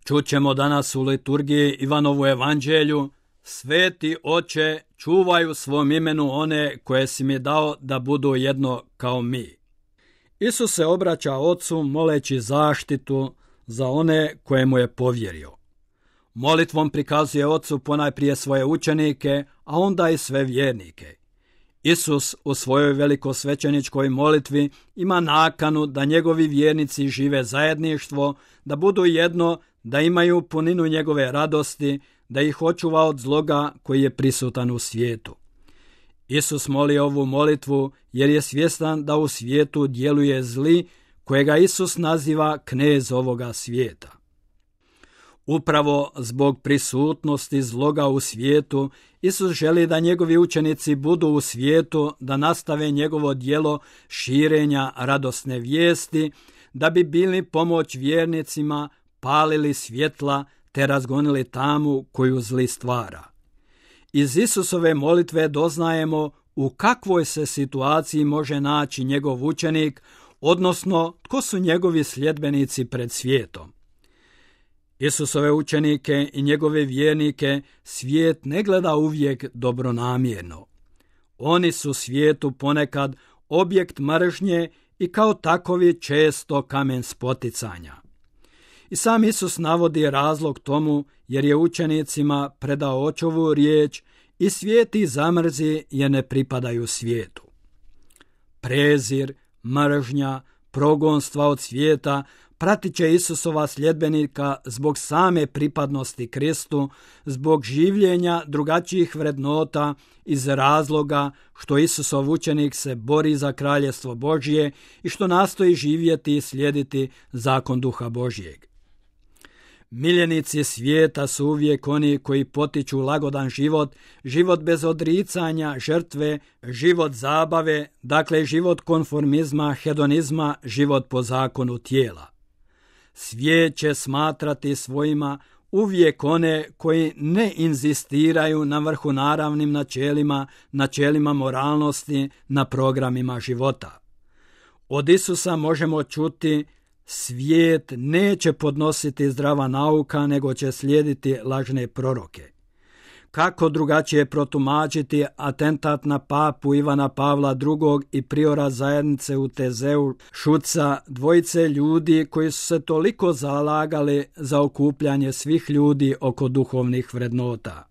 Čućemo danas u liturgiji Ivanovu evanđelju: Sveti Oče, čuvaj u svom imenu one koje si mi dao da budu jedno kao mi. Isus se obraća Ocu moleći zaštitu za one koje mu je povjerio. Molitvom prikazuje Ocu ponajprije svoje učenike, a onda i sve vjernike. Isus u svojoj velikosvećeničkoj molitvi ima nakanu da njegovi vjernici žive zajedništvo, da budu jedno, da imaju puninu njegove radosti, da ih očuva od zloga koji je prisutan u svijetu. Isus moli ovu molitvu jer je svjestan da u svijetu djeluje zli, kojega Isus naziva knez ovoga svijeta. Upravo zbog prisutnosti zloga u svijetu, Isus želi da njegovi učenici budu u svijetu, da nastave njegovo djelo širenja radosne vijesti, da bi bili pomoć vjernicima, palili svjetla te razgonili tamu koju zli stvara. Iz Isusove molitve doznajemo u kakvoj se situaciji može naći njegov učenik, odnosno tko su njegovi sljedbenici pred svijetom. Isusove učenike i njegove vjernike svijet ne gleda uvijek dobronamjerno. Oni su svijetu ponekad objekt mržnje i kao takovi često kamen spoticanja. I sam Isus navodi razlog tomu jer je učenicima predao očovu riječ i svijet ih zamrzi jer ne pripadaju svijetu. Prezir, mržnja, progonstva od svijeta pratit će Isusova sljedbenika zbog same pripadnosti Kristu, zbog življenja drugačijih vrednota, iz razloga što Isusov učenik se bori za kraljestvo Božje i što nastoji živjeti i slijediti zakon Duha Božjeg. Miljenici svijeta su uvijek oni koji potiču lagodan život, život bez odricanja, žrtve, život zabave, dakle život konformizma, hedonizma, život po zakonu tijela. Svijet će smatrati svojima uvijek one koji ne inzistiraju na vrhunaravnim načelima moralnosti, na programima života. Od Isusa možemo čuti: svijet neće podnositi zdrava nauka, nego će slijediti lažne proroke. Kako drugačije protumačiti atentat na papu Ivana Pavla II. I priora zajednice u Tezeu Šuca, dvojice ljudi koji su se toliko zalagali za okupljanje svih ljudi oko duhovnih vrednota.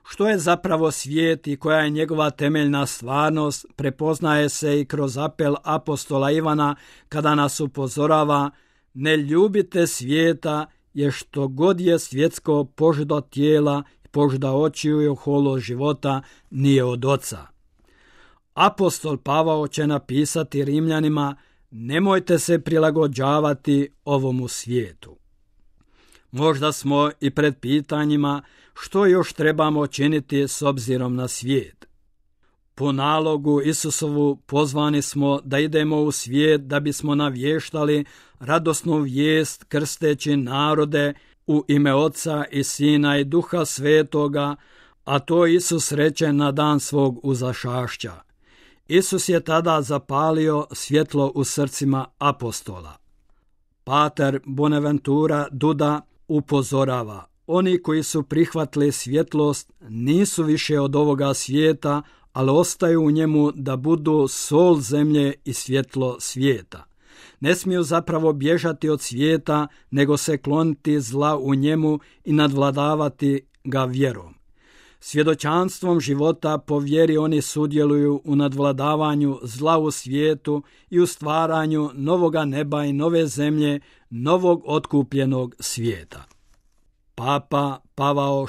Što je zapravo svijet i koja je njegova temeljna stvarnost, prepoznaje se i kroz apel apostola Ivana kada nas upozorava: ne ljubite svijeta, jer što god je svjetsko, požuda tijela, požuda očiju i oholost života nije od Oca. Apostol Pavao će napisati Rimljanima: nemojte se prilagođavati ovomu svijetu. Možda smo i pred pitanjima što još trebamo činiti s obzirom na svijet. Po nalogu Isusovu pozvani smo da idemo u svijet da bismo navještali radosnu vijest krsteći narode u ime Oca i Sina i Duha Svetoga, a to Isus reče na dan svog uzašašća. Isus je tada zapalio svjetlo u srcima apostola. Pater Bonaventura Duda upozorava: oni koji su prihvatili svjetlost nisu više od ovoga svijeta, ali ostaju u njemu da budu sol zemlje i svjetlo svijeta. Ne smiju zapravo bježati od svijeta, nego se kloniti zla u njemu i nadvladavati ga vjerom. Svjedočanstvom života po vjeri oni sudjeluju u nadvladavanju zla u svijetu i u stvaranju novoga neba i nove zemlje, novog otkupljenog svijeta. Papa Pavao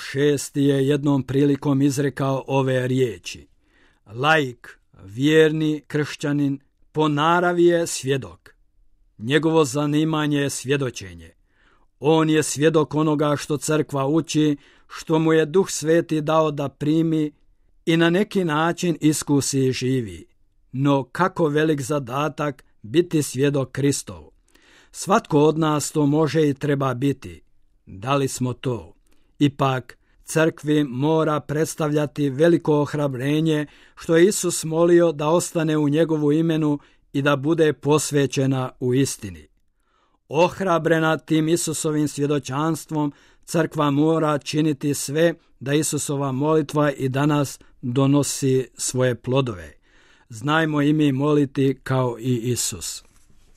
VI je jednom prilikom izrekao ove riječi: laik, vjerni kršćanin, po naravi je svjedok. Njegovo zanimanje je svjedočenje. On je svjedok onoga što crkva uči, što mu je Duh Sveti dao da primi i na neki način iskusi i živi. No kako velik zadatak biti svjedok Kristov. Svatko od nas to može i treba biti. Da li smo to? Ipak, crkvi mora predstavljati veliko ohrabrenje što je Isus molio da ostane u njegovu imenu i da bude posvećena u istini. Ohrabrena tim Isusovim svjedočanstvom, crkva mora činiti sve da Isusova molitva i danas donosi svoje plodove. Znajmo i mi moliti kao i Isus.